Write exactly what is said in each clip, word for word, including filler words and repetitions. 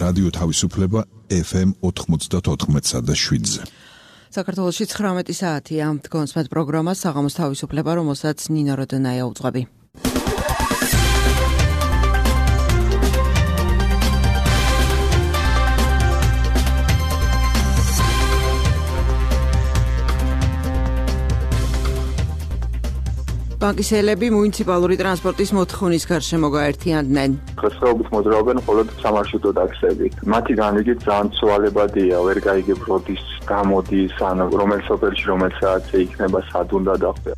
რადიო თავისუფლება ეფ ემ ოთხმოცდაოთხ და შვიდზე. საქართველოში ცხრამეტი საათია. დგონს მათ პროგრამა საღამოს თავისუფლება, რომელსაც ნინო როდონაია უძღვები. ბანკისელები მუნიციპალური ტრანსპორტის მოთხოვნის გარშემო გაერთიანდნენ. დღესდღეობით მოძრაობენ მხოლოდ სამარშრუტო ტაქსები. მათი განრიგით ძალიან ცვალებადია, ვერ გაიგებ როდის გამოდის, ან რომელ სოფელში რომელ საათზე იქნება, სად უნდა დახვია.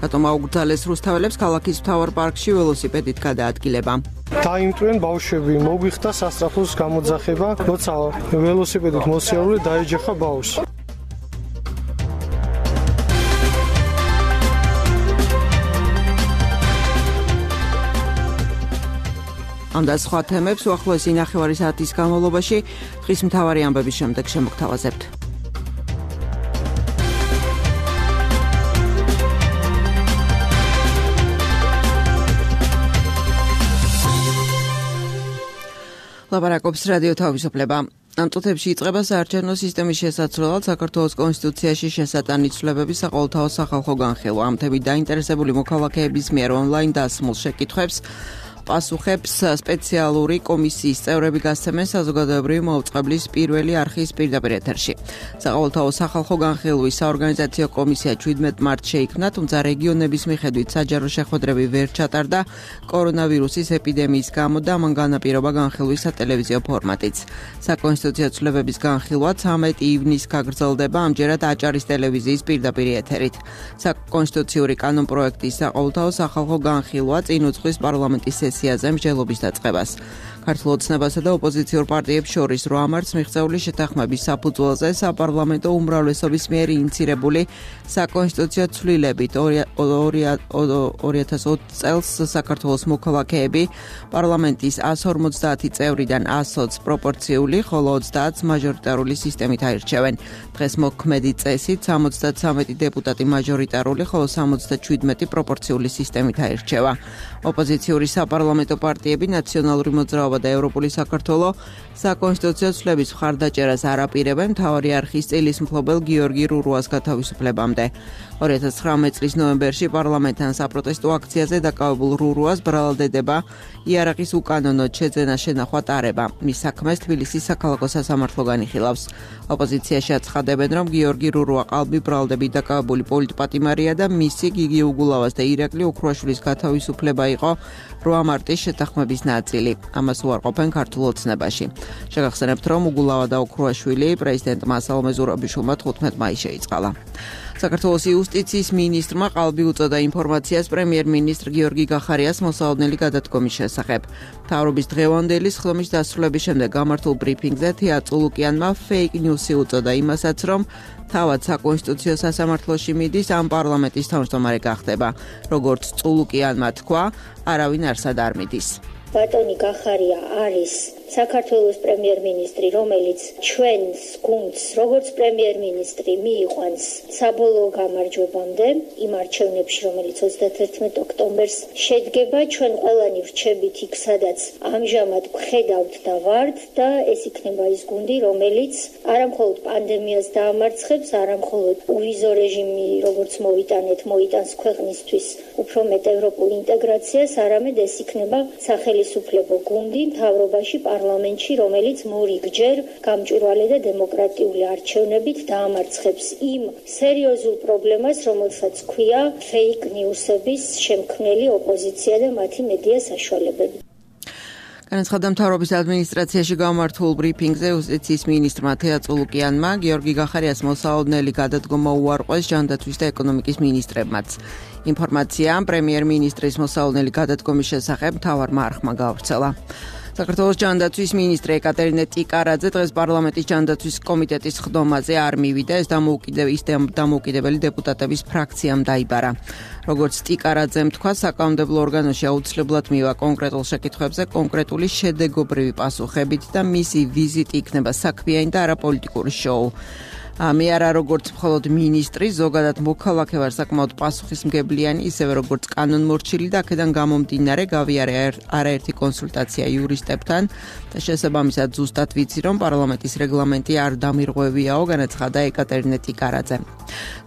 რატომ აუგრძალეს რუსთაველებს ქალაქის მთავარ პარკში ველოსიპედით გადაადგილება? დაიმტვრენ ბავშვები, მოგვიხდა სასწრაფოს გამოძახება, როცა ველოსიპედით მოსიარულე დაეჯახა ბავშვს. ამ და სხვა თემებს უახლოესი ნახევარი საათის განმავლობაში დღის მთავარი ამბების შემდეგ შემოგთავაზებთ. ლაპარაკობს რადიო თავისუფლება. ამ წუთებში იწყება საარჩევნო სისტემის შესაცვლელად საქართველოს კონსტიტუციაში შესატანი ცვლილებების საყოველთაო სახალხო განხილვა. ამ თემით დაინტერესებული მოქალაქეების მიერ ონლაინ დასმულ შეკითხვებს პასუხებს სპეციალური კომისიის წევრები გასცემენ საზოგადოებრივი მოუწყებლის პირველი არხის პირდაპირ ეთერში. საყოველთაო სახალხო განხილვის საორგანიზაციო კომისია შვიდმეტ მარტს შეიქმნა, თუმცა რეგიონების მიხედვით საჯარო შეხვედრები ვერ ჩატარდა კორონავირუსის ეპიდემიის გამო და მან განაპირობა განხილვის სატელევიზიო ფორმატიც. საკონსტიტუციო ცვლილებების განხილვა ცამეტი ივნისს გაგრძელდება, ამჯერად აჭარის ტელევიზიის პირდაპირ ეთერით. საკონსტიტუციური კანონპროექტის საყოველთაო სახალხო განხილვა წინ უძღვის პარლამენტის სესიაზე მსჯელობის დაწყებას. ქართულ ოცნებასა და ოპოზიციურ პარტიებს შორის რვა მარტს მიღწეული შეთანხმების საფუძველზე საპარლამენტო უმრავლესობის მიერ ინიცირებული საკონსტიტუციო ცვლილებით ორი ათას ოცი წელს საქართველოს მოქალაქეები პარლამენტის ასი ორმოცდაათი წევრიდან ასი პროპორციული, ხოლო ოცდაათს მაჟორიტარული სისტემით აირჩევენ. დღეს მოქმედი წესით სამოცდათვრამეტი დეპუტატი მაჟორიტარული, ხოლო სამოცდაშვიდმეტი პროპორციული სისტემით აირჩევა. ოპოზიციური საპარლამენტო პარტიები ნაციონალური მოძრაობა და ევროპული საქართველო საკონსტიტუციო ცვლილების მხარდაჭერას არ აპირებენ მთავარი არხის წილის მფლობელ გიორგი რურუას გათავისუფლებამდე. ორი ათას ცხრამეტი წლის ნოემბერში პარლამენტთან საპროტესტო აქციაზე დაკავებულ რურუას ბრალდება იარაღის უკანონოდ შეძენა შენახვა ტარება. მის საქმეს თბილისის საქალაქო სასამართლო განიხილავს. ოპოზიციაში აცხადებენ, რომ გიორგი რურუა ყალბი ბრალდებით დაკავებული პოლიტპატიმარია და მისი გიგი უგულავას და ირაკლი ოქრუაშვილის გათავისუფლება იყო რვა მარტის შეთანხმების ნაწილი. ამას უარყოფენ ქართულ ოცნებაში. შეგახსენებთ, რომ უგულავა და ოქრუაშვილი პრეზიდენტმა სალომე ზურაბიშვილმა თხუთმეტ მაისს შეიწყალა. საქართველოს იუსტიციის მინისტრმა ყალბი უწოდა ინფორმაციას პრემიერ-მინისტრ გიორგი გახარიას მოსალოდნელი გადადგომის შესახებ. მთავრობის დღევანდელი სხდომის დასრულების შემდეგ გამართულ ბრიფინგზე თეა წულუკიანმა ფეიქ ნიუსი უწოდა იმასაც, რომ თავად საკონსტიტუციო სასამართლოში მიდის, ამ პარლამენტის თავმჯდომარე გახდება. როგორც წულუკიანმა თქვა, არავინ არსად არ მიდის. ბატონი გახარია არის საქართველოს პრემიერ-მინისტრი, რომელიც ჩვენს გუნდს როგორც პრემიერ-მინისტრი მიიყვანს საბოლოო გამარჯვებამდე იმ არჩევნებში, რომელიც ოცდათერთმეტ ოქტომბერს შედგება. ჩვენ ყველანი ვრჩებით იქ, სადაც ამჟამად ვხედავთ და ვართ და ეს იქნება ის გუნდი, რომელიც არამხოლოდ პანდემიას დაამარცხებს, არამხოლოდ უვიზო რეჟიმი, როგორც მოვიტანეთ, მოიტანს ქვეყნისთვის უფრო მეტ ევროპულ ინტეგრაციას, არამედ ეს იქნება სახელისუფლებო გუნდი მთავრობაში პარლამენტში, რომელიც მორიგჯერ გამჭვირვალე და დემოკრატიული არჩევნებით დაამარცხებს იმ სერიოზულ პრობლემას, რომელსაც ქვია ფეიქ ნიუსების შემქმნელი ოპოზიცია და მათი მედია საშუალებები. განაცხადა მთავრობის ადმინისტრაციაში გამართულ ბრიფინგზე იუსტიციის მინისტრმა თეა წულუკიანმა გიორგი გახარიას მოსალოდნელი გადადგომა უარყვეს ჯანდაცვის და ეკონომიკის მინისტრებმაც. ინფორმაცია პრემიერ-მინისტრის მოსალოდნელი გადადგომის შესახებ მთავარმა არხმა გაავრცელა. საქართველოს ჯანდაცვის მინისტრი ეკატერინე ტიკარაძე დღეს პარლამენტის ჯანდაცვის კომიტეტის ხდომაზე არ მივიდა, ეს დამოუკიდებელი დეპუტატების ფრაქციამ დაიბარა. როგორც ტიკარაძემ თქვა, საკანონმდებლო ორგანოში აუცილებლად მივა კონკრეტულ შეკითხვებზე კონკრეტული შედეგობრივი პასუხებით და მისი ვიზიტი იქნება საქმიანი და არა პოლიტიკური შოუ. მე არა როგორც მხოლოდ მინისტრი, ზოგადად მოქალაქე ვარ საკმაოდ პასუხისმგებლიანი, ისევე როგორც კანონმორჩილი და აქედან გამომდინარე გავიარე არაერთი კონსულტაცია იურისტებთან და შესაბამისად ზუსტად ვიცი, რომ პარლამენტის რეგლამენტი არ დამირღვევიაო, განაცხადა ეკატერინე ტიკარაძე.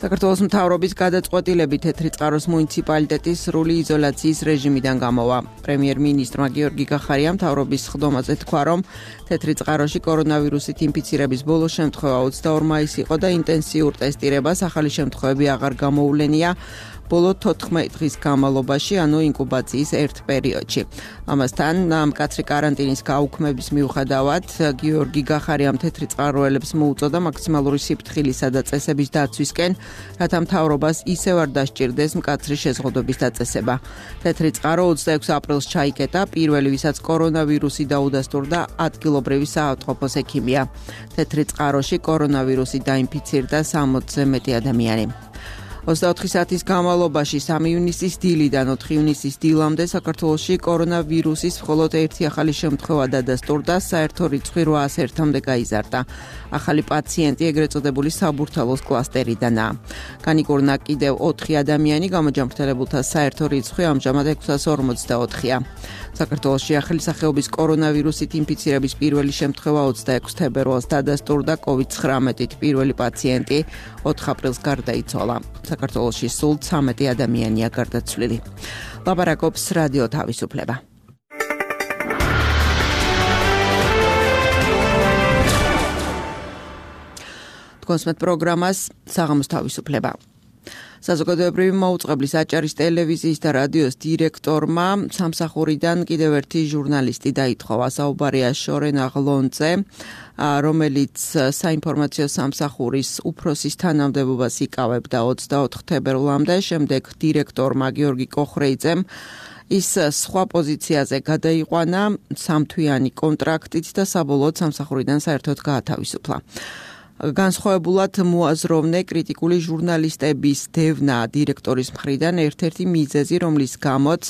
საქართველოს მთავრობის გადაწყვეტილებით თეთრი წყაროს მუნიციპალიტეტის სრული იზოლაციის რეჟიმიდან გამოვა. პრემიერ-მინისტრმა გიორგი გახარიამ მთავრობის სხდომაზე თქვა, რომ თეთრი წყაროში კორონავირუსით ინფიცირების ბოლო შემთხვევა ოცდაორი მაისი იყო და ინტენსიურ ტესტირებას ახალი შემთხვევები აღარ გამოუვლენია ბოლო თოთხმეტი დღის განმავლობაში, ანუ ინკუბაციის ერთ პერიოდში. ამასთან, მკაცრი კარანტინის გაუქმების მიუხედავად, გიორგი გახარიამ თეთრი წყაროელებს მოუწოდა მაქსიმალური სიფრთხილისა და წესების დაცვისკენ, რათა მთავრობას ისევ არ დასჭირდეს მკაცრი შეზღუდვების დაწესება. თეთრი წყარო ოცდაექვსი aprils ჩაიკეტა, პირველი, ვისაც კორონავირუსი დაუდასტურდა ადგილობრივი საავადმყოფოს ექიმია. თეთრი წყაროში კორონავირუსი დაინფიცირდა სამოცზე მეტი ადამიანი. ოცდაოთხი საათის განმავლობაში სამი ივნისის დილიდან ოთხი ივნისის დილამდე საქართველოში კორონავირუსის მხოლოდ ერთი ახალი შემთხვევა დადასტურდა, საერთო რიცხვი რვაას ერთამდე გაიზარდა. ახალი პაციენტი ეგრეთ წოდებული საბურთალოს კლასტერიდანაა. განიკურნა კიდევ ოთხი ადამიანი, გამოჯანმრთელებულთა საერთო რიცხვი ამჟამად ექვსას ორმოცდაოთხია. საქართველოში ახალი სახეობის კორონავირუსით ინფიცირების პირველი შემთხვევა ოცდაექვსი თებერვალს დადასტურდა, კოვიდ ცხრამეტით პირველი პაციენტი ოთხ აპრილს გარდაიცვალა. საქართველოში სულ ცამეტი ადამიანია გარდაცვლილი. ლაპარაკობს რადიო თავისუფლება. კონსმეთ პროგრამას საღამოს თავისუფლება. საზოგადოებრივი მაუწყებლის აჭარის ტელევიზიის და რადიოს დირექტორმა სამსახურიდან კიდევ ერთი ჟურნალისტი დაითხოვა. საუბარია შორენ აღლონზე, რომელიც საინფორმაციო სამსახურის უფროსის თანამდებობას იკავებდა ოცდაოთხ თებერვლამდე, შემდეგ დირექტორმა გიორგი კოხრეიძემ ის სხვა პოზიციაზე გადაიყვანა სამთვიანი კონტრაქტით და საბოლოოდ სამსახურიდან საერთოდ გაათავისუფლა. განსხვავებულად მოაზროვნე კრიტიკული ჟურნალისტების დევნა დირექტორის მხრიდან ერთ-ერთი მიზეზი, რომლის გამოც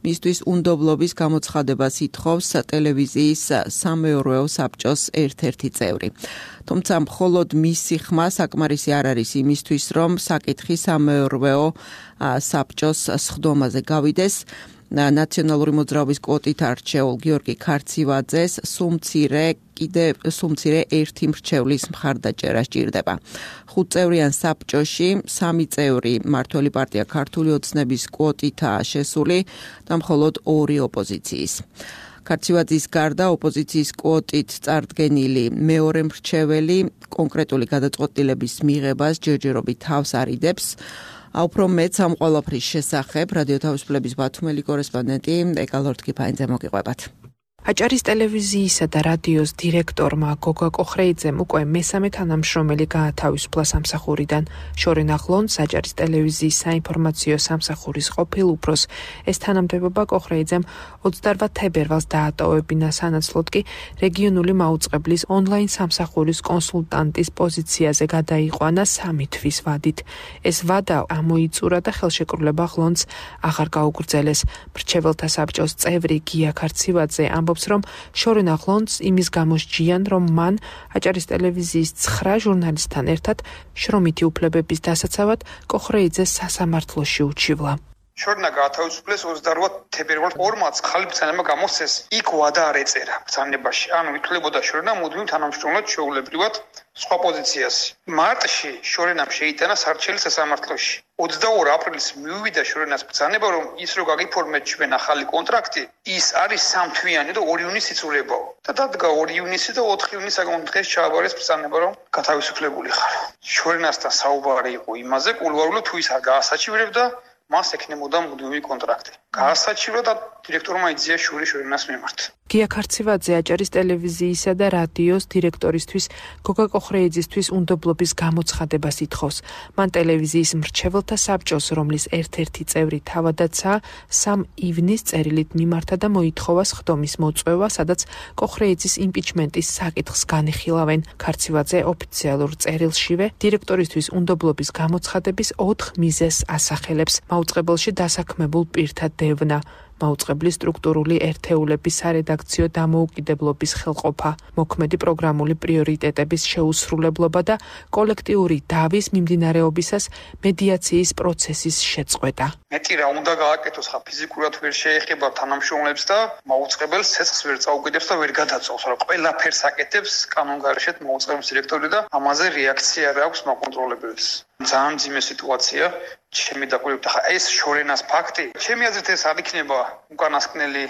მისთვის უნდობლობის გამოცხადებას ითხოვს ტელევიზიის სამეურვეო საბჭოს ერთ-ერთი წევრი. თუმცა მხოლოდ მისი ხმა საკმარისი არ არის იმისთვის, რომ საკითხი სამეურვეო საბჭოს სხდომაზე გავიდეს. ნაციონალური მოძრაობის კვოტით არჩეულ გიორგი ქარცივაძეს სუმცირე კიდე სუმცირე ერთი მრჩევლის მხარდაჭერა სჭირდება. ხუთწევრიან საბჭოში სამი წევრი მმართველი პარტია ქართული ოცნების კვოტითაა შესული და მხოლოდ ორი ოპოზიციის. ქარცივაძის გარდა ოპოზიციის კვოტით წარდგენილი მეორე მრჩეველი კონკრეტული გადაწყვეტილების მიღებას ჯერჯერობით თავს არიდებს. უფრო მეც ამ ყველაფრის შესახებ რადიო თავისუფლების ბათუმელი კორესპონდენტი ეკალორთკიფაინძე მოგიყვებათ. აჭარის ტელევიზიისა და რადიოს დირექტორმა გოგა კოხრეიძემ უკვე მესამე თანამშრომელი გაათავისუფლა სამსახურიდან. შორენ აღლონს აჭარის ტელევიზიის საინფორმაციო სამსახურის ყოფილ უფროს ეს თანამდებობა კოხრეიძემ ოცდაოთხ თებერვალს დაატოვებინა, სანაცვლოდ კი რეგიონული მაუწყებლის ონლაინ სამსახურის კონსულტანტის პოზიციაზე გადაიყვანა სამი თვის ვადით. ეს ვადა ამოიწურა და ხელშეკრულება აღლონს აღარ გაუგრძელეს. მრჩეველთა საბჭოს წევრი გია ქარცივაძე ამბობს, რომ შორენ აღლონს იმის გამოსჯიან, რომ მან აჭარის ტელევიზიის ცხრა ჟურნალისტთან ერთად შრომითი უფლებების დასაცავად კოხრეიძეს სასამართლოში უჩივლა. შორნა გაათავისუფლეს ოცდაოთხ თებერვალს ორმაც ხალი ბრძანება გამოსცეს. იქ ვადა არ ეწერა ბრძანებაში. ანუ ითვლებოდა შორნა მუდმივ თანამშრომლად ჩვეულებრივად სხვა პოზიციას. მარტში შორენამ შეიტანა სარჩელი სასამართლოში. ოცდაორი აპრილის მიუვიდა შორენას ბრძანება, რომ ის რო გაგიფორმეთ ჩვენ ახალი კონტრაქტი, ის არის სამთვიანი და ორი ივნისი იცურებაო. და დადგა ორი ივნისი და ოთხი ივნისი საკუთარ დღეს ჩააბარეს ბრძანება, რომ გათავისუფლებული ხარ. შორენასთან საუბარი იყო იმაზე, კულუარულად თუ ის არ გაასაჩივრებდა, მას ექნებოდა მუდმივი კონტრაქტი. გაასაჩივრა და დირექტორმა იძია შური შორენას მიმართ. გია ქარცივაძე აჭარის ტელევიზიისა და რადიოს დირექტორისთვის გოგა კოხრეიძისთვის უნდობლობის გამოცხადებას ითხოვს. მან ტელევიზიის მრჩეველთა საბჭოს, რომლის ერთ-ერთი წევრი თავადაცაა, სამ ივნის წერილით მიმართა და მოითხოვა სხდომის მოწვევა, სადაც კოხრეიძის იმპიჩმენტის საკითხს განიხილავენ. ქარცივაძე ოფიციალურ წერილშივე დირექტორისთვის უნდობლობის გამოცხადების ოთხ მიზეზს ასახელებს. მაუწყებელში დასაქმებულ პირთა დევნა, მაუწყებლის სტრუქტურული ერთეულების სარედაქციო დამოუკიდებლობის ხელყოფა, მოქმედი პროგრამული პრიორიტეტების შეუსრულებლობა და კოლექტიური დავის მიმდინარეობისას მედიაციის პროცესის შეწყვეტა. მეტი რა უნდა გააკეთოს, ხა ფიზიკურად ვერ შეეხება თანამშრომლებს და მაუწყებელს ცეცხლს ვერ წაუკიდებს და ვერ გადაწყვეტს, რომ ყველაფერს აკეთებს კანონგარშეთ მაუწყებლის დირექტორი და ამაზე რეაქცია არ აქვს მაკონტროლებელს. ძალიან ძიმე სიტუაცია, ჩემი დაკვირვებით, ხა ეს შორენას ფაქტი, ჩემი აზრით ეს არ იქნება უკანასკნელი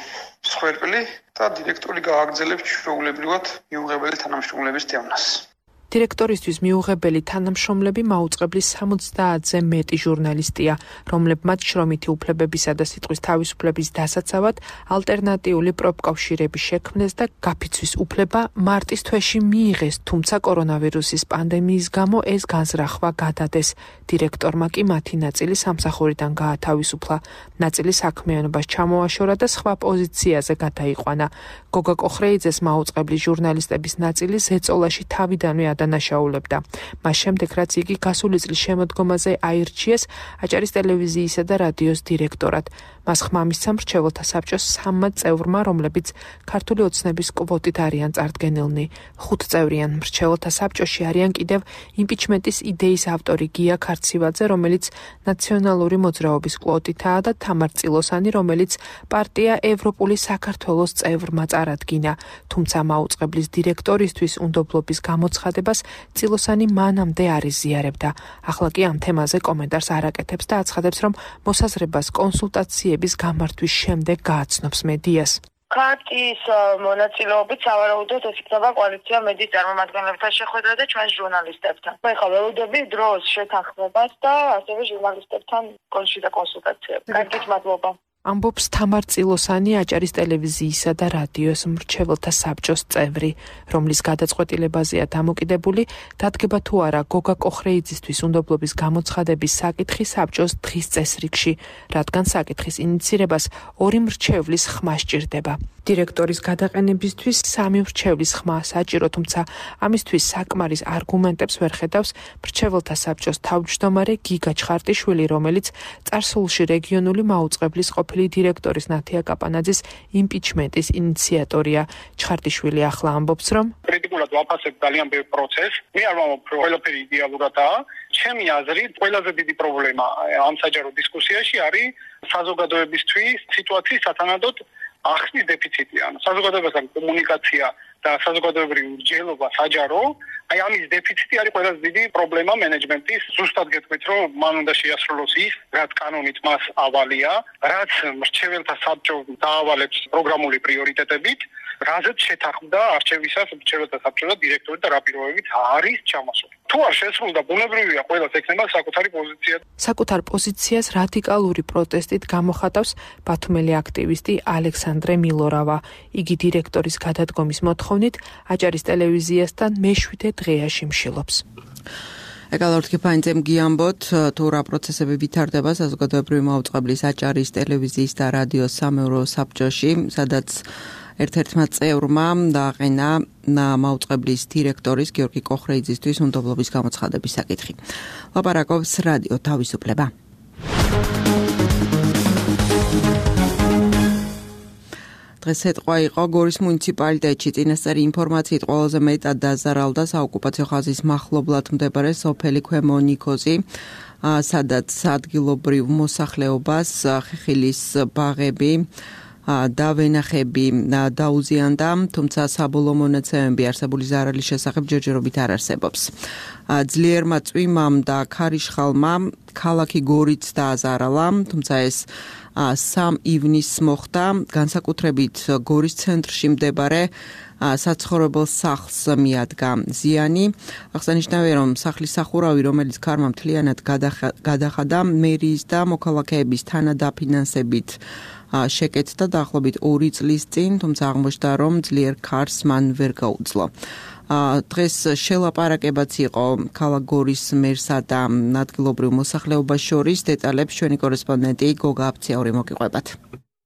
მსხვერპლი და დირექტორი გააგრძელებს ჩვეულებრივად მიუღებელი თანამშრომლების დევნას. დირექტორისთვის მიუღებელი თანამშრომლები მაუწყებლის სამოცდაათზე მეტი ჟურნალისტია, რომლებმაც შრომითი უფლებებისა და სიტყვის თავისუფლების დასაცავად ალტერნატიული პროფკავშირები შექმნეს და გაფიცვის უფლება მარტის თვეში მიიღეს, თუმცა კორონავირუსის პანდემიის გამო ეს განზრახვა გადადეს. დირექტორმა კი მათი ნაწილი სამსახურიდან გაათავისუფლა, ნაწილი საქმიანობას ჩამოაშორა და სხვა პოზიციაზე გადაიყვანა. გოგა კოხრეიძეს მაუწყებლის ჟურნალისტების ნაწილი ზეწოლაში თავიდანვე ადანაშაულებდა. მას შემდეგ, რაც იგი გასული წლის შემოდგომაზე აირჩიეს აჭარის ტელევიზიისა და რადიოს დირექტორად. მას ხმა მისცა მრჩეველთა საბჭოს სამმა წევრმა, რომლებიც ქართული ოცნების კვოტით არიან წარდგენილნი. ხუთწევრიან მრჩეველთა საბჭოში არიან კიდევ იმპიჩმენტის იდეის ავტორი გია ქარცივაძე, რომელიც ნაციონალური მოძრაობის კვოტითაა და თამარ წილოსანი, რომელიც პარტია ევროპული საქართველოს წევრმა წარადგინა. თუმცა მაუწყებლის დირექტორისთვის უნდობლობის გამოცხადებას წილოსანი მანამდე არ იზიარებდა. ახლა კი ამ თემაზე კომენტარს არ აკეთებს და აცხადებს, რომ მოსაზრებას კონსულტაციების გამართვის შემდეგ გააცნობს მედიას. ქართის მონაწილეობით სავარაუდოდ ეს იქნება კოალიცია მედიის წარმომადგენლებთან შეხვედრა და ჩვენ ჟურნალისტებთან. მე ხა ველოდები დროს შეთანხმებას და ასევე ჟურნალისტებთან კონსულტა კონსულტაციებს. კარგით, მადლობა. ამბობს თამარ წილოსანი, აჭარის ტელევიზიისა და რადიოს მრჩეველთა საბჭოს წევრი, რომლის გადაწყვეტილებაზეა დამოკიდებული, დადგება თუ არა გოგა კოხრეიძისთვის უნდობლობის გამოცხადების საკითხი საბჭოს დღის წესრიგში, რადგან საკითხის ინიცირებას ორი მრჩევლის ხმა სჭირდება. დირექტორის გადაყენებისთვის სამი მრჩევლის ხმა საჭირო, თუმცა ამისთვის საკმარის არგუმენტებს ვერ ხედავს მრჩეველთა საბჭოს თავმჯდომარე გიგა ჩხარტიშვილი, რომელიც წარსულში რეგიონული მაუწყებლის ყოფილი დირექტორის ნათია კაპანაძის იმპიჩმენტის ინიციატორია. ჩხარტიშვილი ახლა ამბობს, რომ კრიტიკულად ვაფასებ ძალიან ბევრ პროცესს. მე არ ვამბობ, რომ ყველაფერი იდეალურადაა. ჩემი აზრით, ყველაზე დიდი პრობლემა ამ საჯარო დისკუსიაში არის საზოგადოებისთვის სიტუაციის სათანადოდ ახსნის დეფიციტი. ანუ საზოგადოებასთან კომუნიკაცია და საზოგადოებრივი მსჯელობა საჯარო, აი ამის დეფიციტი არის ყველაზე დიდი პრობლემა მენეჯმენტის. ზუსტად გეტყვით, რომ მან უნდა შეასრულოს ის, რაც კანონით მას ავალია, რაც მრჩეველთა საბჭო დაავალებს პროგრამული პრიორიტეტებით, რაზეც შეთანხმდა არჩევისას მრჩეველთა საბჭო და დირექტორი და რა პირობებით არის ჩამოსული. თუ არ შესრულდა, ბუნებრივია ყველას ექნება საკუთარი პოზიცია. საკუთარ პოზიციას რადიკალური პროტესტით გამოხატავს ბათუმელი აქტივისტი ალექსანდრე მილორავა. იგი დირექტორის გადადგომის მოთხოვნით აჭარის ტელევიზიასთან მეშვიდე დღეაში მშილობს. ეკალორთკი ფაინძემ გიამბოთ, თუ რა პროცესები ვითარდება საზოგადოებრივი მაუწყებლის აჭარის ტელევიზიის და რადიოს სამეურო საბჭოში, სადაც ერთ-ერთმა წევრმა დააყენა მაუწყებლის დირექტორის გიორგი კოხრეიძისთვის უნდობლობის გამოცხადების საკითხი. ლაპარაკობს რადიო თავისუფლება. დღეს ეთყვა იყო გორის მუნიციპალიტეტში წინასწარი ინფორმაციით ყველაზე მეტად დაზარალდა საოკუპაციო ხაზის მახლობლად მდებარე სოფელი ქვემო ნიქოზი, სადაც ადგილობრივ მოსახლეობას ხეხილის ბაღები და ვენახები დაუზიანდა, თუმცა საბოლოო მონაცემები არსებული ზარალის შესახებ ჯერჯერობით არ არსებობს. ძლიერმა წვიმამ და ქარიშხალმა ქალაქი გორიც დააზარალა, თუმცა ეს სამ ივნისს მოხდა, განსაკუთრებით გორის ცენტრში მდებარე საცხოვრებელ სახლს მიადგა ზიანი. აღსანიშნავია, რომ სახლის სახურავი, რომელიც ქარმა მთლიანად გადახადა, მერიის და მოქალაქეების თანადაფინანსებით შეკეთდა დაახლოებით ორი წლის წინ, თუმცა აღმოჩნდა, რომ ძლიერ ქარს მან ვერ გაუძლო. დღეს შელაპარაკებაც იყო ქალაქ გორის მერსა და ადგილობრივ მოსახლეობას შორის. დეტალებს ჩვენი კორესპონდენტი გოგა აფციაური მოგიყვებათ.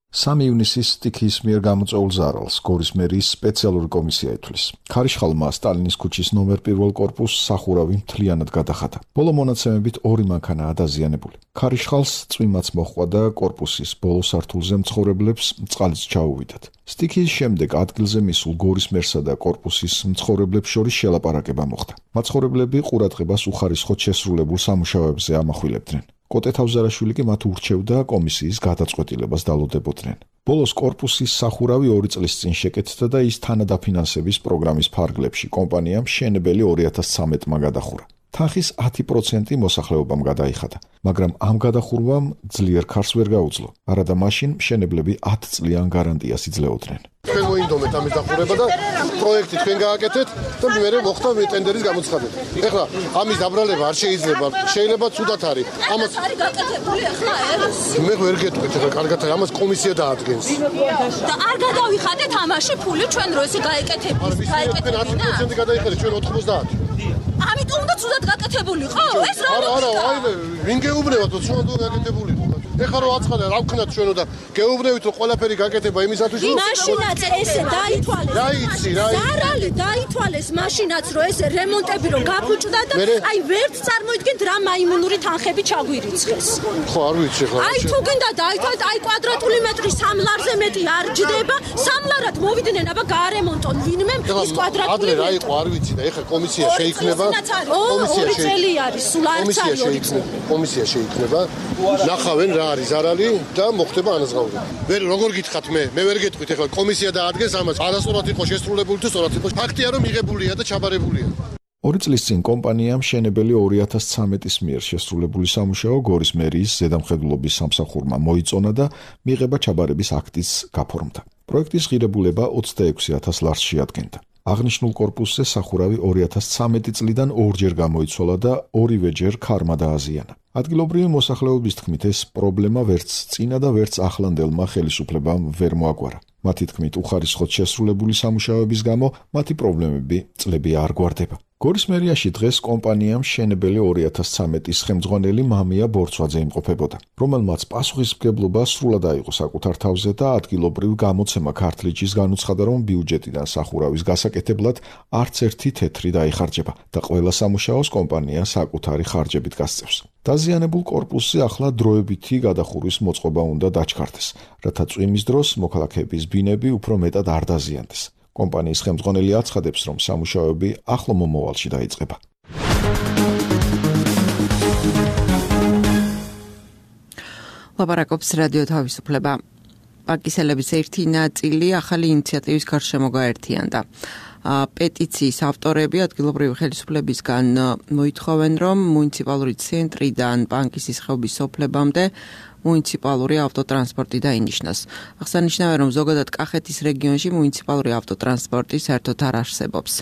სამი ივნისის სტიქიის მიერ გამოწვეულ ზარალს გორის მერიის სპეციალური კომისია ითვლის. ქარიშხალმა სტალინის ქუჩის ნომერ პირველ კორპუსს სახურავი მთლიანად გადახადა. ბოლო მონაცემებით ორი მანქანაა დაზიანებული. ქარიშხალს წვიმაც მოჰყვა და კორპუსის ბოლო სართულზე მცხოვრებლებს წყალიც ჩაუვიდათ. სტიქიის შემდეგ ადგილზე მისულ გორის მერსა და კორპუსის მცხოვრებლებს შორის შელაპარაკება მოხდა. მაცხოვრებლები ყურადღებას უხარისხოდ შესრულებულ სამუშაოებზე ამახვილებდნენ. კოტე თავზარაშვილი კი მათ ურჩევდა კომისიის გადაწყვეტილებას დალოდებოდნენ. ბოლოს კორპუსის სახურავი ორი წლის წინ შეკეთდა და ის თანადაფინანსების პროგრამის ფარგლებში კომპანიამ მშენებელი ორი ათას ცხრამეტმა გადახურა. თანხის ათი პროცენტი მოსახლეობამ გადაიხადა, მაგრამ ამ გადახურვამ ძლიერ ქარს ვერ გაუძლო. არადა მაშინ მშენებლები ათ წლიან გარანტიას იძლეოდნენ. თქვენ მოინდომეთ ამის დახურება და პროექტი თქვენ გააკეთეთ და მე მოხდა ტენდერის გამოცხადება. ეხლა ამის დაბრალება არ შეიძლება, შეიძლება ცუდად არის. ამას არის გაკეთებული ახლა ეს. მე ვერ გეტყვით ეხლა კარგად არის, ამას კომისია დაადგენს. და არ გადავიხადეთ ამაში ფული ჩვენ რო ესე გაეკეთებთ. გაეკეთებთ ათი პროცენტი გადაიხადეთ ჩვენ ოთხმოცდაათი. ამიტომ უნდა ცუდად გაკეთებულიყო? ეს რა არა, არა, აი ვინ გეუბნებათ რომ ცუდად გაკეთებულიყო. ეხლა რო აცხადა რა ვქნათ ჩვენ და გეუბნებით რომ ყველაფერი გაკეთება იმისათვის რომ მაშინაც ესე დაითვალეს. რა იცი, რა იცი. ზარალი დაითვალეს მაშინაც რომ ეს რემონტები რომ გაფუჭდა და აი ვერც წარმოიდგენთ რა მაიმუნური თანხები ჩაგვირიცხეს. ხო, არ ვიცი ახლა. აი თუ გინდა დაითვალეთ აი კვადრატული მეტრი სამ ლარზე მეტი არ ჯდება, სამ ლარად მოვიდნენ აბა გაარემონტონ ვინმე ის კვადრატული. ადრე რა იყო არ ვიცი და ეხლა კომისია შეიქმნება. კომისია შეიქმნება. კომისია შეიქმნება. კომისია შეიქმნება. ნახავენ რა არის ზარალი და მოხდება ანაზღაურება. ვერ როგორ გითხათ მე? მე ვერ გეტყვით ეხლა კომისია დაადგენს ამას. არასწორად იყო შესრულებული თუ სწორად იყო. ფაქტია რომ მიღებულია და ჩაბარებულია. ორი წლის წინ კომპანიამ მშენებელი ორი ათას ცხრამეტის მიერ შესრულებული სამუშაო გორის მერიის ზედამხედველობის სამსახურმა მოიწონა და მიღება ჩაბარების აქტიც გაფორმდა. პროექტის ღირებულება ოცდაექვსი ათას ლარს შეადგენდა. აღნიშნულ კორპუსზე სახურავი ორი ათას ცხრამეტი წლიდან ორჯერ გამოიცვალა და ორივეჯერ ქარმა დააზიანა. ადგილობრივი მოსახლეობის თქმით, ეს პრობლემა ვერც წინა და ვერც ახლანდელმა ხელისუფლებამ ვერ მოაგვარა. მათი თქმით, უხარისხოდ შესრულებული სამუშაოების გამო მათი პრობლემები წლები არ გვარდება. გორის მერიაში დღეს კომპანიამ მშენებელი ორი ათას ცხრამეტის ხელმძღვანელი მამია ბორცვაძე იმყოფებოდა, რომელმაც პასუხისმგებლობა სრულად აიღო საკუთარ თავზე და ადგილობრივ გამოცემა ქართლიჩის განუცხადა, რომ ბიუჯეტიდან სახურავის გასაკეთებლად არც ერთი თეთრი დაიხარჯება და ყველა სამუშაოს კომპანია საკუთარი ხარჯებით გასწევს. დაზიანებულ კორპუსზე ახლა დროებითი გადახურვის მოწყობა უნდა დაჩქარდეს, რათა წვიმის დროს მოქალაქეების ბინები უფრო მეტად არ დაზიანდეს. კომპანიის ხელმძღვანელი აცხადებს, რომ სამუშაოები ახლო მომავალში დაიწყება. ლაპარაკობს რადიო თავისუფლება. პაკისელების ერთი ნაწილი ახალი ინიციატივის გარშემო გაერთიანდა. პეტიციის ავტორები ადგილობრივი ხელისუფლებისგან მოითხოვენ, რომ მუნიციპალური ცენტრიდან პანკისის ხეობის სოფლებამდე მუნიციპალური ავტოტრანსპორტი დაინიშნოს. აღსანიშნავია, რომ ზოგადად კახეთის რეგიონში მუნიციპალური ავტოტრანსპორტი საერთოდ არ არსებობს.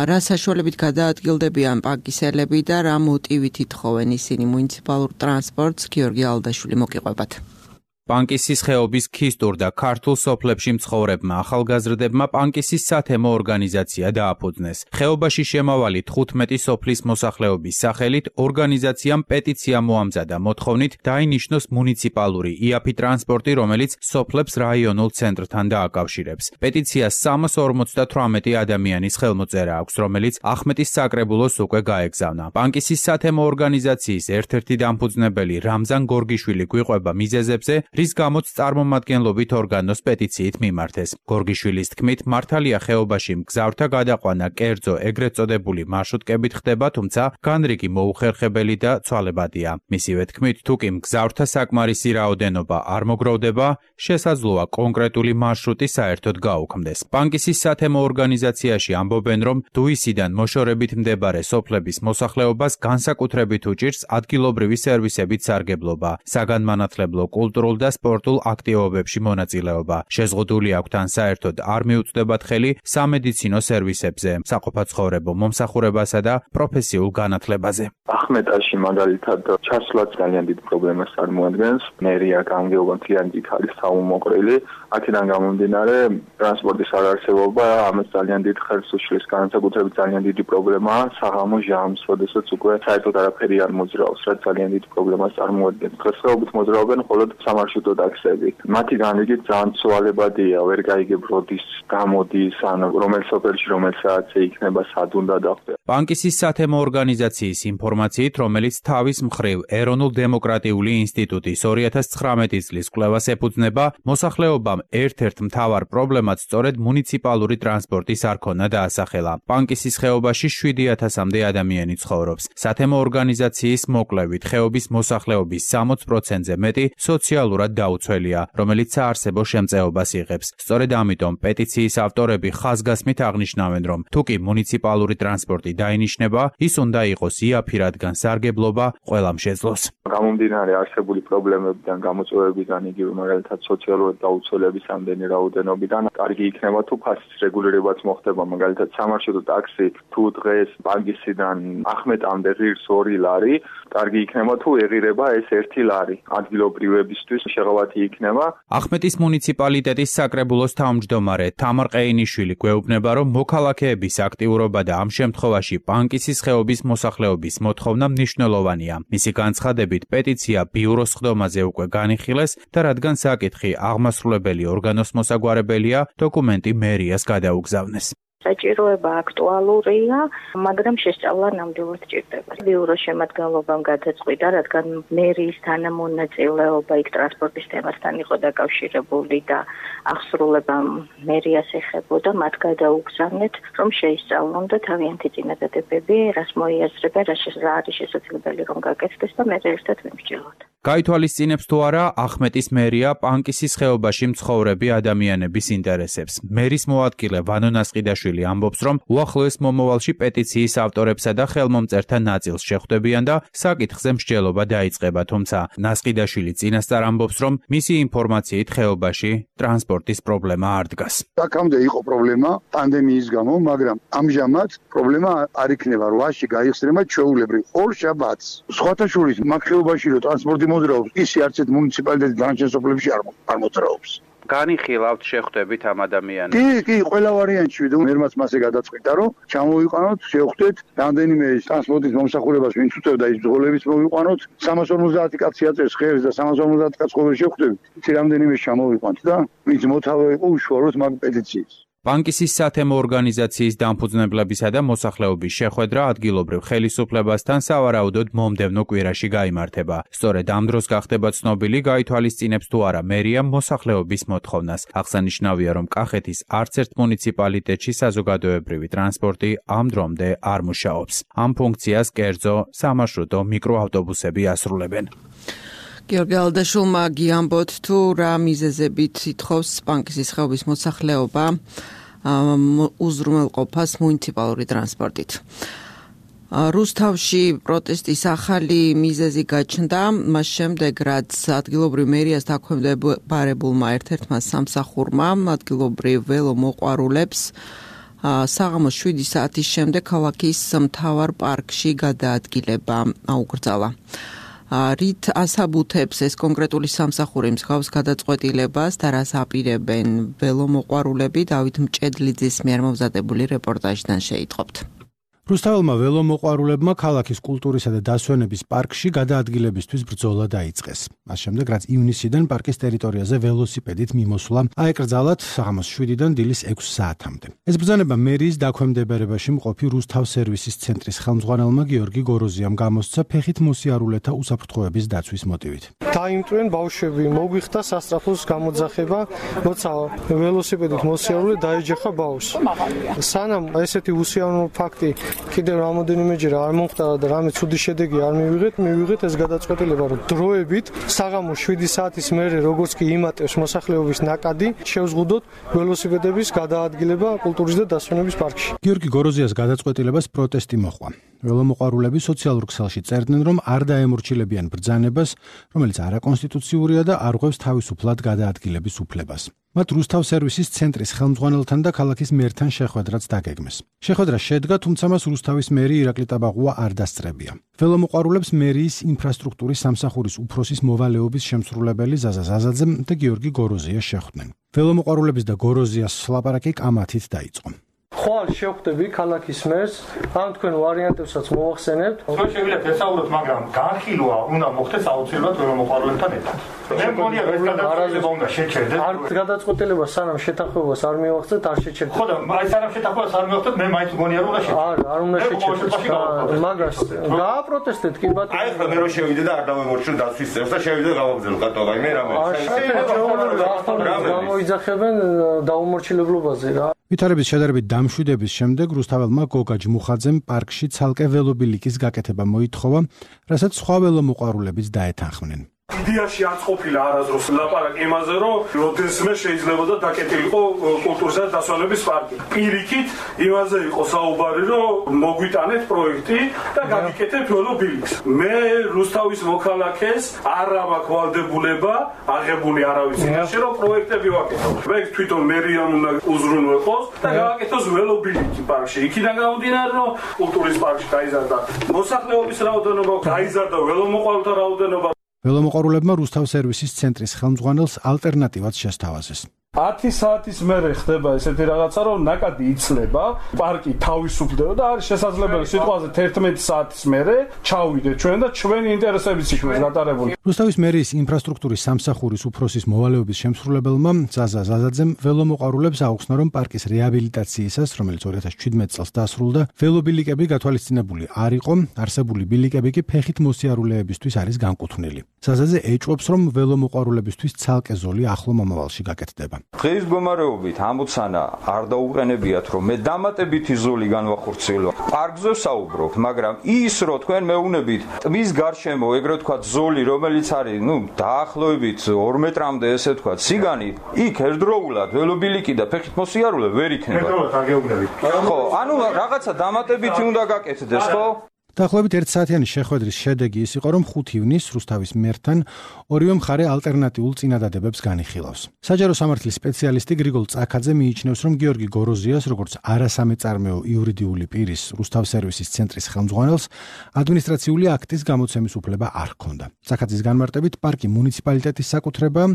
რა საშუალებით გადაადგილდებიან პანკისელები და რა მოტივით ითხოვენ ისინი მუნიციპალურ ტრანსპორტს? გიორგი ალდაშვილი მოგიყვებათ. პანკისის ხეობის ქისტურ და ქართულ სოფლებში მცხოვრებმა ახალგაზრდებმა პანკისის სათემო ორგანიზაცია დააფუძნეს. ხეობაში შემავალი თხუთმეტი სოფლის მოსახლეობის სახელით ორგანიზაციამ პეტიცია მოამზადა მოთხოვნით დაინიშნოს მუნიციპალური იაფი ტრანსპორტი, რომელიც სოფლებს რაიონულ ცენტრთან დააკავშირებს. პეტიციას სამას ორმოცდათვრამეტი ადამიანის ხელმოწერა აქვს, რომელიც ახმეტის საკრებულოს უკვე გაეგზავნა. პანკისის სათემო ორგანიზაციის ერთ-ერთი დამფუძნებელი რამზან გორგიშვილი გვიყვება მიზეზებზე, რის გამოც წარმომადგენლობით ორგანოს პეტიციით მიმართეს. გორგიშვილის თქმით, მართალია ხეობაში მგზავრთა გადაყვანა კერძო ეგრეთ წოდებული მარშრუტკებით ხდება, თუმცა განრიგი მოუხერხებელი და ცვალებადია. მისივე თქმით, თუკი მგზავრთა საკმარისი რაოდენობა არ მოგროვდება, შესაძლოა კონკრეტული მარშრუტი საერთოდ გაუქმდეს. პანკისის სათემო ორგანიზაციაში ამბობენ, რომ დუისიდან მოშორებით მდებარე სოფლების მოსახლეობას განსაკუთრებით უჭირს ადგილობრივი სერვისებით სარგებლობა, საგანმანათლებლო, კულტურულ და სპორტულ აქტივობებში მონაწილეობა. შეზღუდული აქვთ ან საერთოდ არ მიუწვდებათ ხელი სამედიცინო სერვისებზე, საყოფაცხოვრებო მომსახურებასა და პროფესიულ განათლებაზე. ახმეტაში მაგალითად ჩასვლაც ძალიან დიდ პრობლემას წარმოადგენს. მერია გამგეობა ძალიან დიდ არის საუმოყრილი. აქედან გამომდინარე ტრანსპორტის არარსებობა ამას ძალიან დიდ ხელს უშლის. განსაკუთრებით ძალიან დიდი პრობლემაა საღამო ჟამს, როდესაც უკვე საერთოდ არაფერი არ მოძრაობს, რაც ძალიან დიდ პრობლემას წარმოადგენს. დღესდღეობით მოძრაობენ მხოლოდ სამარშრუტო სამარშრუტო ტაქსები. მათი განრიგით ძალიან ცვალებადია, ვერ გაიგებ როდის გამოდის, ან რომელ სოფელში რომელ საათზე იქნება, სად უნდა დახვდე. პანკისის სათემო ორგანიზაციის ინფორმაციით, რომელიც თავის მხრივ ეროვნულ-დემოკრატიული ინსტიტუტის ორი ათას ცხრამეტი წლის კვლევას ეფუძნება, მოსახლეობამ ერთ-ერთ მთავარ პრობლემად სწორედ მუნიციპალური ტრანსპორტის არ ქონა დაასახელა. პანკისის ხეობაში შვიდი ათასამდე ადამიანი ცხოვრობს. სათემო ორგანიზაციის მოკვლევით, ხეობის მოსახლეობის სამოცი პროცენტზე მეტი სოციალურად დაუცველია, რომელიც საარსებო შემწეობას იღებს. სწორედ ამიტომ პეტიციის ავტორები ხაზგასმით აღნიშნავენ, რომ თუ კი მუნიციპალური ტრანსპორტი დაინიშნება, ის უნდა იყოს იაფი, რადგან სარგებლობა ყველამ შეძლოს. გამომდინარე არსებული პრობლემებიდან, გამოწვევებიდან, იგივე მაგალითად სოციალურად დაუცველების ამდენი რაოდენობიდან, კარგი იქნება თუ ფასის რეგულირებაც მოხდება, მაგალითად სამარშრუტო ტაქსი თუ დღეს პანკისიდან ახმეტამდე ღირს ორი ლარი, კარგი იქნება თუ ეღირება ეს ერთი ლარი. ადგილობრივებისთვის შეღავათი იქნება. ახმეტის მუნიციპალიტეტის საკრებულოს თავმჯდომარე თამარ ყეინიშვილი გვეუბნება, რომ მოქალაქეების აქტიურობა და ამ შემთხვევაში პანკისის ხეობის მოსახლეობის მოთხოვნა მნიშვნელოვანია. მისი განცხადებით, პეტიცია ბიუროს ხდომაზე უკვე განიხილეს და რადგან საკითხი აღმასრულებელი ორგანოს მოსაგვარებელია, დოკუმენტი მერიას გადაუგზავნეს. საჭიროება აქტუალურია, მაგრამ შესწავლა ნამდვილად ჭირდება. ბიუროს შემადგენლობამ გადაწყვიტა, რადგან მერიის თანამონაწილეობა იქ ტრანსპორტის თემასთან იყო დაკავშირებული და აღსრულებამ მერიას ეხებოდა, მათ გადაუგზავნეთ, რომ შეისწავლონ და თავიანთი წინადადებები, რას მოიაზრებენ, რა არის შესაძლებელი რომ გაკეთდეს და მე ერთად ვიმსჯელოთ. გაითვალისწინებს თუ არა ახმეტის მერია პანკისის ხეობაში მცხოვრები ადამიანების ინტერესებს. მერის მოადგილე ვანო ნასყიდაშვილი ამბობს, რომ უახლოეს მომავალში პეტიციის ავტორებსა და ხელმომწერთა ნაწილს შეხვდებიან და საკითხზე მსჯელობა დაიწყება, თუმცა ნასყიდაშვილი წინასწარ ამბობს, რომ მისი ინფორმაციით ხეობაში ტრანსპორტის პრობლემა არ დგას. აქამდე იყო პრობლემა პანდემიის გამო, მაგრამ ამჟამად პრობლემა არ იქნება, რვაში გაიხსნება ჩვეულებრივ ორ შაბათს. სხვათა შორის მაგ ხეობაში რო ტრანსპორტი მოძრაობს, ისი არც ერთ მუნიციპალიტეტის დანარჩენ სოფლებში არ მოძრაობს. განიხილავთ, შეხვდებით ამ ადამიანებს? კი, კი, ყველა ვარიანტში და მერმაც მასე გადაწყვიტა, რომ ჩამოვიყვანოთ, შევხვდეთ რამდენიმე ტრანსპორტის მომსახურებას, ვინც უწევდა ის ბრძოლების მოვიყვანოთ, სამას ორმოცდაათი კაცი აწევს ხერს და სამას ორმოცდაათი კაცს ყოველ შევხვდებით. იცი რამდენიმე ჩამოვიყვანთ და ვინც მოთავე იყო უშუალოდ მაგ პეტიციას. პანკისის სათემო ორგანიზაციის დამფუძნებლებისა და მოსახლეობის შეხვედრა ადგილობრივ ხელისუფლებასთან სავარაუდოდ მომდევნო კვირაში გაიმართება. სწორედ ამ დროს გახდება ცნობილი, გაითვალისწინებს თუ არა მერია მოსახლეობის მოთხოვნას. აღსანიშნავია, რომ კახეთის არც ერთ მუნიციპალიტეტში საზოგადოებრივი ტრანსპორტი ამ დრომდე არ მუშაობს. ამ ფუნქციას კერძო სამარშრუტო მიკროავტობუსები ასრულებენ. გიორგი ალდაშულმა გიამბოთ, თუ რა მიზეზებით ითხოვს პანკისის ხეობის მოსახლეობა უზრუნველყოფას მუნიციპალური ტრანსპორტით. რუსთავში პროტესტის ახალი მიზეზი გაჩნდა, მას შემდეგ, რაც ადგილობრივ მერიას დაქვემდებარებულმა ერთ-ერთმა სამსახურმა ადგილობრივ ველომოყვარულებს საღამოს შვიდი საათის შემდეგ ქალაქის მთავარ პარკში გადაადგილება აუკრძალა. რით ასაბუთებს ეს კონკრეტული სამსახური მსგავს გადაწყვეტილებას და რას აპირებენ ველომოყვარულები, დავით მჭედლიძის მიერ მომზადებული რეპორტაჟიდან შეიტყობთ. რუსთაველმა ველომოყვარულებმა ქალაქის კულტურისა და დასვენების პარკში გადაადგილებისთვის ბრძოლა დაიწყეს. მას შემდეგ, რაც ივნისიდან პარკის ტერიტორიაზე ველოსიპედით მიმოსვლა აეკრძალათ საღამოს შვიდიდან დილის ექვს საათამდე. ეს ბრძანება მერიის დაქვემდებარებაში მყოფი რუსთავ სერვისის ცენტრის ხელმძღვანელმა გიორგი გოროზიამ გამოსცა ფეხით მოსიარულეთა უსაფრთხოების დაცვის მოტივით. დაიმტვენ ბავშვები, მოგვიხდა სასწრაფოს გამოძახება, როცა ველოსიპედით მოსიარულე დაეჯახა ბავშვს. სანამ ესეთი უსიამოვნო ფაქტი კიდევ რამოდენიმეჯერ არ მომხდარა და რამე ცუდი შედეგი არ მივიღეთ, მივიღეთ ეს გადაწყვეტილება, რომ დროებით საღამოს შვიდი საათის მერე როგორც კი იმატებს მოსახლეობის ნაკადი, შევზღუდოთ ველოსიპედების გადაადგილება კულტურის და დასვენების პარკში. გიორგი გოროზიას გადაწყვეტილებას პროტესტი მოჰყვა. ველომოყვარულები სოციალურ ქსელში წერდნენ, რომ არ დაემორჩილებიან ბრძანებას, რომელიც არაკონსტიტუციურია და არ ღვევს თავისუფლად გადაადგილების უფლებას. მათ რუსთავ სერვისის ცენტრის ხელმძღვანელთან და ქალაქის მერთან შეხვედრაც დაგეგმეს. შეხვედრა შედგა, თუმცა მას რუსთავის მერი ირაკლი ტაბაღუა არ დასწრებია. ველომოყვარულებს მერიის ინფრასტრუქტურის სამსახურის უფროსის მოვალეობის შემსრულებელი ზაზა ზაზაძე და გიორგი გოროზია შეხვდნენ. ველომოყვარულების და გოროზიას ლაპარაკი კამათით დაიწყო. ხვალ შევხვდები ქალაქის მერს, ამ თქვენ ვარიანტებსაც მოვახსენებთ. ჩვენ შევიდეთ ესაუბროთ, მაგრამ განხილვა უნდა მოხდეს აუცილებლად ველომოყვარულებთან ერთად. მე მგონია რომ გადაწყვეტილება უნდა შეჩერდეს. არ გადაწყვეტილება სანამ შეთანხმებას არ მივახცეთ, არ შეჩერდეს. ხო და აი სანამ შეთანხმებას არ მივახცეთ, მე მაინც მგონია რომ უნდა შეჩერდეს. არ, არ უნდა შეჩერდეს. მაგას გააპროტესტეთ კი ბატონო. აი ხა მე რო შევიდე და არ დავემორჩილ დაცვის წევს და შევიდე გავაგზავნე კატო, აი მე რამე. არ შეიძლება გამოიძახებენ დაუმორჩილებლობაზე რა. ვითარების შედარებით დამშვიდების შემდეგ რუსთაველმა გოგა ჯმუხაძემ პარკში ცალკე ველობილიკის გაკეთება მოითხოვა, რასაც სხვა ველომოყვარულებიც დაეთანხმნენ. იდეაში არ ყოფილა არასდროს ლაპარაკი იმაზე, რომ როდესმე შეიძლება და დაკეტილიყო კულტურისა და დასვენების პარკი. პირიქით იმაზე იყო საუბარი, რომ მოგვიტანეთ პროექტი და გაგიკეთეთ ველობილიკს. მე რუსთავის მოქალაქეს არ აქვს ვალდებულება აღებული არავის წინაშე, რომ პროექტები ვაკეთოთ. მე თვითონ მერიამ უნდა უზრუნველყოს და გავაკეთოს ველობილიკი პარკში. იქიდან გამომდინარე, რომ კულტურის პარკში გაიზარდა მოსახლეობის რაოდენობა, გაიზარდა ველომოყვარულთა რაოდენობა. ველომოყვარულებმა რუსთავ სერვისის ცენტრის ხელმძღვანელს ალტერნატივად შესთავაზეს. ათი საათის მერე ხდება ესეთი რაღაცა, რომ ნაკადი იცლება, პარკი თავისუფლდება და არის შესაძლებელი სიტყვაზე თერთმეტი საათის მერე ჩავიდეთ ჩვენ და ჩვენი ინტერესებიც იქნება გატარებული. რუსთავის მერიის ინფრასტრუქტურის სამსახურის უფროსის მოვალეობის შემსრულებელმა ზაზა ზაზაძემ ველომოყვარულებს აუხსნა, რომ პარკის რეაბილიტაციისას, რომელიც ორი ათას შვიდმეტი წელს დასრულდა, ველობილიკები გათვალისწინებული არ იყო, არსებული ბილიკები კი ფეხით მოსიარულეებისთვის არის განკუთვნილი. ზაზაძე ეჭვობს, რომ ველომოყვარულებისთვის ცალკე ზოლი ახლო მომავალში გაკეთდება. დღის მდგომარეობით ამოცანა არ დაუყენებიათ, რომ მე დამატებითი ზოლი განვახორციელო. პარკზე საუბრობთ, მაგრამ ის რო თქვენ მეუნებით ტბის გარშემო, ეგრეთ ვთქვათ, ზოლი, რომელიც არის, ნუ, დაახლოებით ორ მეტრამდე, ესე ვთქვათ, სიგანი, იქ ერთდროულად ველობილიკი და ფეხით მოსიარულე ვერ იქნება. ერთდროულად არ გეუბნებით. ხო, ანუ რაღაცა დამატებითი უნდა გაკეთდეს, ხო? დაახლოებით ერთ საათიანი შეხვედრის შედეგი ის იყო, რომ ხუთი ივნისს რუსთავის მერთან ორივე მხარე ალტერნატიულ წინადადებებს განიხილავს. საჯარო სამართლის სპეციალისტი გრიგოლ წაქაძე მიიჩნევს, რომ გიორგი გოროზიას, როგორც არასამეწარმეო იურიდიული პირის რუსთავ სერვისის ცენტრის ხელმძღვანელს, ადმინისტრაციული აქტის გამოცემის უფლება არ ჰქონდა. წაქაძის განმარტებით, პარკი მუნიციპალიტეტის საკუთრებაა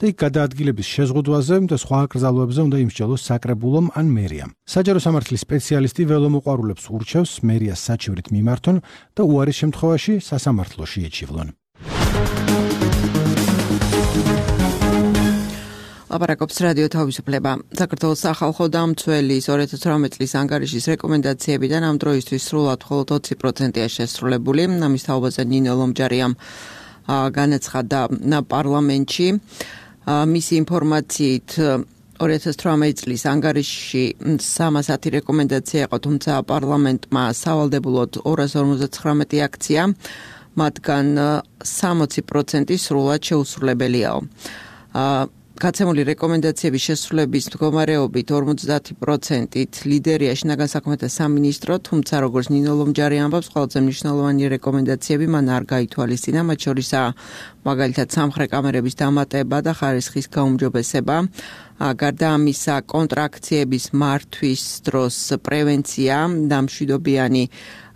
და იქ გადაადგილების შეზღუდვაზე და სხვა აკრძალვებზე უნდა იმსჯელოს საკრებულომ ან მერიამ. საჯარო სამართლის სპეციალისტი ველომოყვარულებს ურჩევს მერიას საჩივრით მიმართ და უარის შემთხვევაში სასამართლოში ეჩივლონ. ლაპარაკობს რადიო თავისუფლება. საქართველოს სახალხო დამცველის ორი ათას ოცდაოთხ წლის ანგარიშის რეკომენდაციებიდან ამ დროისთვის სრულად მხოლოდ ოცი პროცენტია შესრულებული. ამის თაობაზე ნინო ლომჯარიამ განაცხადა პარლამენტში. მისი ინფორმაციით ორი ათას ოცდაოთხ წლის ანგარიშში სამას ათი რეკომენდაცია იყო, თუმცა პარლამენტმა სავალდებულოდ ორას ორმოცდათხრამეტი აქცია, მათგან სამოცი პროცენტი სრულად შეუსრულებელიაო. გაცემული რეკომენდაციების შესრულების მდგომარეობით ორმოცდაათი პროცენტით ლიდერია შინაგან საქმეთა სამინისტრო, თუმცა როგორც ნინო ლომჯარი ამბობს, ყველაზე მნიშვნელოვანი რეკომენდაციები მან არ გაითვალისწინა, მათ შორისაა მაგალითად სამხრე კამერების დამატება და ხარისხის გაუმჯობესება. გარდა ამისა, კონტრაქციების მართვის დროს პრევენცია და მშვიდობიანი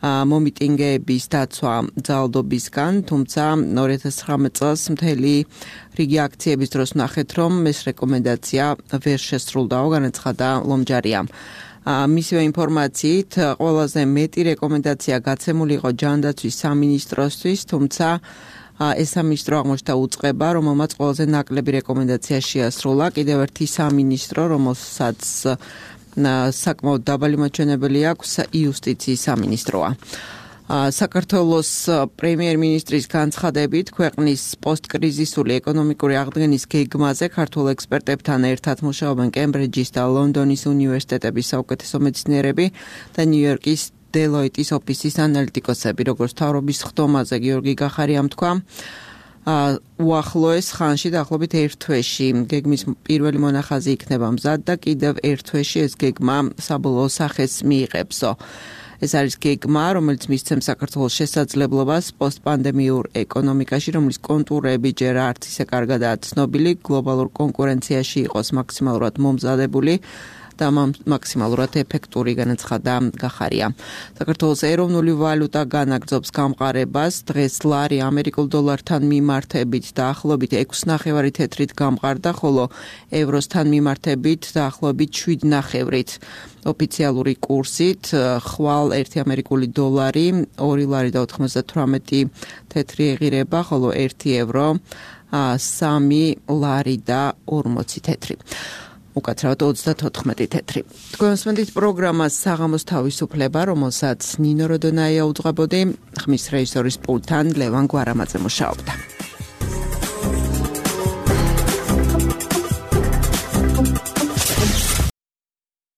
მომიტინგეების დაცვა ძალადობისგან, თუმცა ორი ათას ცხრამეტ წელს მთელი რიგი აქციების დროს ნახეთ, რომ ეს რეკომენდაცია ვერ შესრულდაო, განაცხადა ლომჯარიამ. მისივე ინფორმაციით, ყველაზე მეტი რეკომენდაცია გაცემული იყო ჯანდაცვის სამინისტროსთვის, თუმცა ეს სამინისტრო აღმოჩნდა უწყება, რომელმაც ყველაზე ნაკლები რეკომენდაცია შეასრულა. კიდევ ერთი სამინისტრო, რომელსაც საკმაოდ დაბალი მაჩვენებელი აქვს, იუსტიციის სამინისტროა. საქართველოს პრემიერ-მინისტრის განცხადებით, ქვეყნის პოსტკრიზისული ეკონომიკური აღდგენის გეგმაზე ქართულ ექსპერტებთან ერთად მუშაობენ კემბრიჯის და ლონდონის უნივერსიტეტების საუკეთესო მეცნიერები და ნიუ-იორკის დელოიტის ოფისის ანალიტიკოსები, როგორც მთავრობის ხდომაზე გიორგი გახარიამ თქვა, უახლოეს ხანში დაახლოებით ერთ თვეში გეგმის პირველი მონახაზი იქნება მზად და კიდევ ერთ თვეში ეს გეგმა საბოლოო სახეს მიიღებსო. ეს არის გეგმა, რომელიც მისცემს საქართველოს შესაძლებლობას პოსტპანდემიურ ეკონომიკაში, რომლის კონტურები ჯერ არც ისე კარგადაა ცნობილი, გლობალურ კონკურენციაში იყოს მაქსიმალურად მომზადებული და მაქსიმალურად ეფექტური, განაცხადა გახარია. საქართველოს ეროვნული ვალუტა განაგრძობს გამყარებას, დღეს ლარი ამერიკულ დოლართან მიმართებით დაახლოებით ექვსი ნახევარი თეთრით გამყარდა, ხოლო ევროსთან მიმართებით დაახლოებით შვიდი ნახევრით. ოფიციალური კურსით ხვალ ერთი ამერიკული დოლარი ორი ლარი და ოთხმოცდათვრამეტი თეთრი ეღირება, ხოლო ერთი ევრო სამი ლარი და ორმოცი თეთრი. უკაცრავად ოცდათოთხმეტი თეთრი. თქვენ მოსმენთ პროგრამას საღამოს თავისუფლება, რომელსაც ნინო როდონაია უძღვებოდი, ხმის რეჟისორის პულტთან ლევან გვარამაძე მუშაობდა.